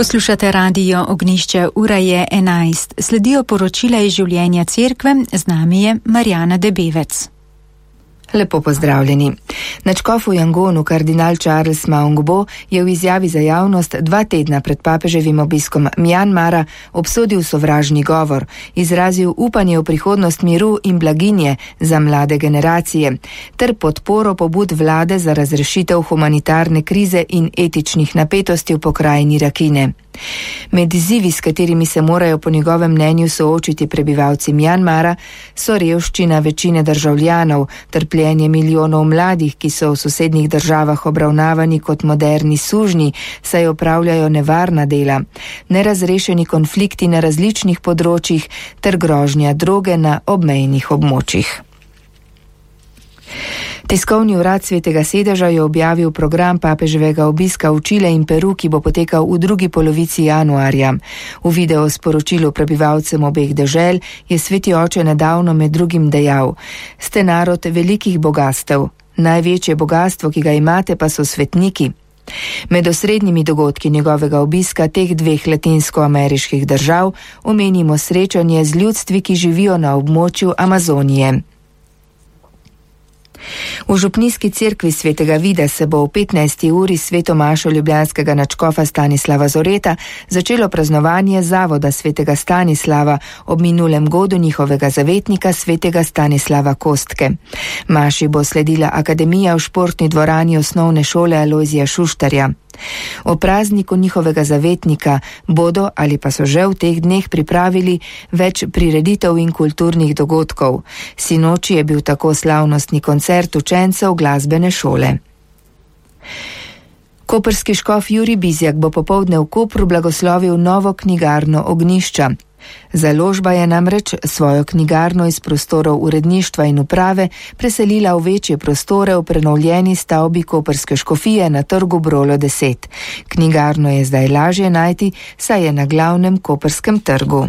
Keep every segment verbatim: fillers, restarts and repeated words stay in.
Poslušate radio Ognjišče, ura je enajst. Sledijo poročila iz življenja cerkve, z nami je Marjana Debevec. Lepo pozdravljeni. Nadškof v Yangonu kardinal Charles Maungbo je v izjavi za javnost dva tedna pred papeževim obiskom Mjanmara obsodil sovražni govor, izrazil upanje v prihodnost miru in blaginje za mlade generacije, ter podporo pobud vlade za razrešitev humanitarne krize in etičnih napetosti v pokrajini Rakine. Med izzivi, s katerimi se morajo po njegovem mnenju soočiti prebivalci Mjanmara, so revščina večine državljanov, trpljenje milijonov mladih, ki so v sosednjih državah obravnavani kot moderni sužnji, saj opravljajo nevarna dela, nerazrešeni konflikti na različnih področjih ter grožnja droge na obmejnih območjih. Tiskovni urad Svetega sedeža je objavil program papeževega obiska v Čile in Peru, ki bo potekal v drugi polovici januarja. V video sporočilu prebivalcem obeh dežel je sveti oče nedavno med drugim dejal: "Ste narod velikih bogastev. Največje bogastvo, ki ga imate, pa so svetniki." Med osrednjimi dogodki njegovega obiska teh dveh latinskoameriških držav omenimo srečanje z ljudstvi, ki živijo na območju Amazonije. V župnijski cerkvi Svetega Vida se bo v petnajsti uri sveto mašo ljubljanskega nadškofa Stanislava Zoreta začelo praznovanje zavoda Svetega Stanislava ob minulem godu njihovega zavetnika Svetega Stanislava Kostke. Maši bo sledila akademija v športni dvorani osnovne šole Alojzija Šuštarja. O prazniku njihovega zavetnika bodo ali pa so že v teh dneh pripravili več prireditev in kulturnih dogodkov. Sinoči je bil tako slavnostni koncert učencev glasbene šole. Koprski škof Jurij Bizjak bo popoldne v Kopru blagoslovil novo knjigarno Ognjišča. Založba je namreč svojo knjigarno iz prostorov uredništva in uprave preselila v večje prostore v prenovljeni stavbi Koprske škofije na trgu Brolo deset. Knjigarno je zdaj lažje najti, saj je na glavnem koprskem trgu.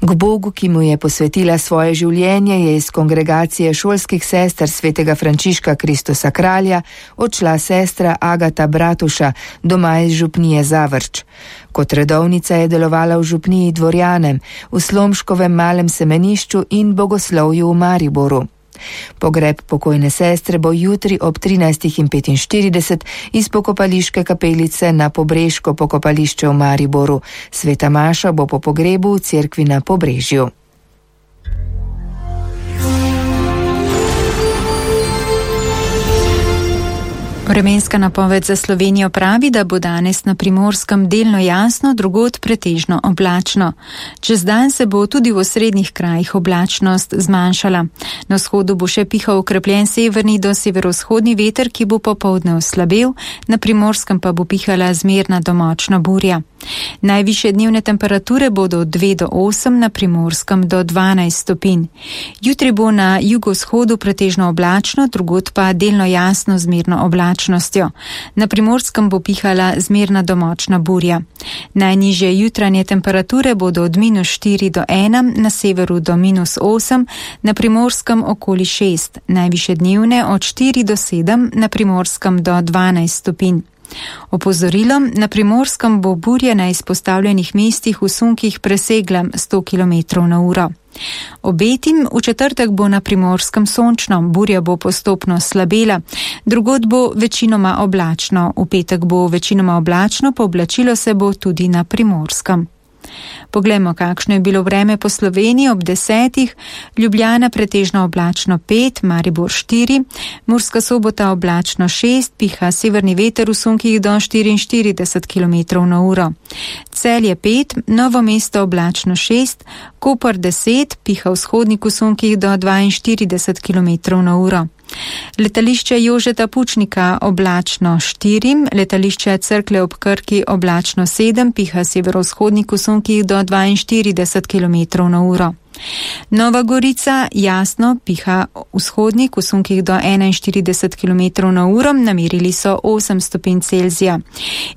K Bogu, ki mu je posvetila svoje življenje, je iz kongregacije šolskih sester svetega Frančiška Kristusa Kralja odšla sestra Agata Bratuša, doma iz župnije Zavrč. Kot redovnica je delovala v župniji Dvorjanem, v Slomškovem malem semenišču in Bogoslovju v Mariboru. Pogreb pokojne sestre bo jutri ob trinajstih petinštirideset iz pokopališke kapelice na Pobreško pokopališče v Mariboru. Sveta maša bo po pogrebu v cerkvi na Pobrežju. Vremenska napoved za Slovenijo pravi, da bo danes na Primorskem delno jasno, drugod pretežno oblačno. Čez dan se bo tudi v osrednjih krajih oblačnost zmanjšala. Na vzhodu bo še pihal okrepljen severni do severovzhodni veter, ki bo popoldne oslabel, na Primorskem pa bo pihala zmerna do močna burja. Najvišje dnevne temperature bodo od dve do osem, na Primorskem do dvanajst stopinj. Jutri bo na jugovzhodu pretežno oblačno, drugod pa delno jasno zmerno oblačno. Na Primorskem bo pihala zmerna do močna burja. Najnižje jutranje temperature bodo od minus štiri do ena, na severu do minus osem, na Primorskem okoli šest, najvišje dnevne od štiri do sedem, na Primorskem do dvanajst stopinj. Opozorilom, na Primorskem bo burja na izpostavljenih mestih v sunkih presegla sto kilometrov na uro. Obetim, v četrtek bo na Primorskem sončno, burja bo postopno slabela, drugod bo večinoma oblačno, v petek bo večinoma oblačno, pooblačilo se bo tudi na Primorskem. Poglejmo, kakšno je bilo vreme po Sloveniji ob desetih. Ljubljana pretežno oblačno pet, Maribor štiri, Murska Sobota oblačno šest, piha severni veter v sunkih do štiriinštirideset kilometrov na uro. Celje pet, Novo mesto oblačno šest, Koper deset, piha vzhodnik v sunkih do dvainštirideset kilometrov na uro. Letališče Jožeta Pučnika oblačno štiri, letališče Cerklje ob Krki oblačno sedem, piha severovzhodnik v sunkih do dvainštirideset kilometrov na uro. Nova Gorica jasno, piha vzhodnik v sunkih do enainštirideset kilometrov na uro, namerili so osem stopinj Celzija.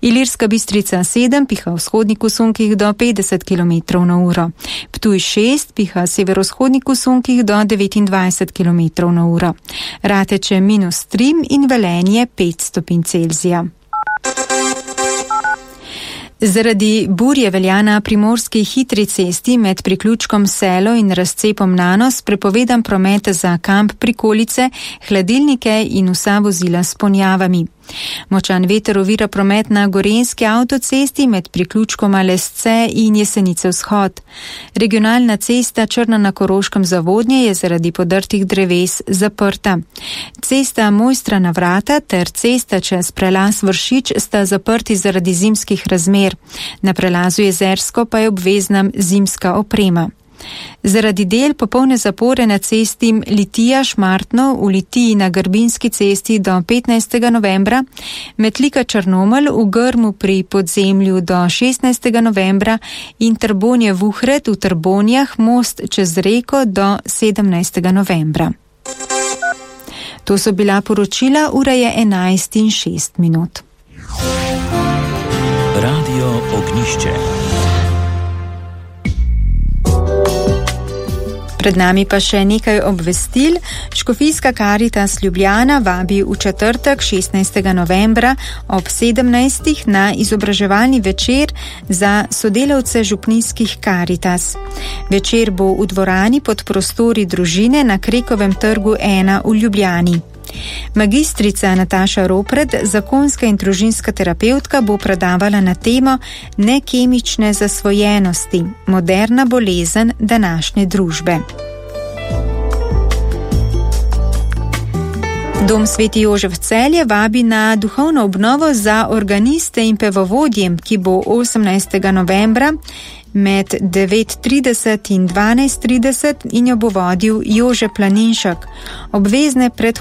Ilirska Bistrica sedem, piha vzhodnik v sunkih do petdeset kilometrov na uro. Ptuj šest, piha severovzhodnik v sunkih do devetindvajset kilometrov na uro. Rateče minus tri in Velenje pet stopinj Celzija. Zaradi burje velja na primorski hitri cesti med priključkom Selo in razcepom Nanos prepovedan promet za kamp Prikolice, hladilnike in vsa vozila s ponjavami. Močan veter ovira promet na gorenjski avtocesti med priključkoma Lesce in Jesenice vzhod. Regionalna cesta Črna na Koroškem Zavodnje je zaradi podrtih dreves zaprta. Cesta Mojstra na Vrata ter cesta čez prelaz Vršič sta zaprti zaradi zimskih razmer. Na prelazu Jezersko pa je obvezna zimska oprema. Zaradi del popolne zapore na cesti Litija-Šmartno v Litiji na Grbinski cesti do petnajstega novembra, Metlika Črnomelj v Grmu pri Podzemlju do šestnajstega novembra in Trbonje-Vuhred v Trbonjah most čez reko do sedemnajstega novembra. To so bila poročila, ura je enajst in šest minut. Radio Ognjišče. Pred nami pa še nekaj obvestil. Škofijska Karitas Ljubljana vabi v četrtek šestnajstega novembra ob sedemnajstih na izobraževalni večer za sodelavce župnijskih Karitas. Večer bo v dvorani pod prostori družine na Krekovem trgu ena v Ljubljani. Magistrica Nataša Ropret, zakonska in družinska terapevtka, bo predavala na temo nekemične zasvojenosti, moderna bolezen današnje družbe. Dom Sveti Jožef Celje vabi na duhovno obnovo za organiste in pevovodje, ki bo osemnajstega novembra med devet trideset in dvanajst trideset in jo bo vodil Jože Planinšek. Obvezne predhodne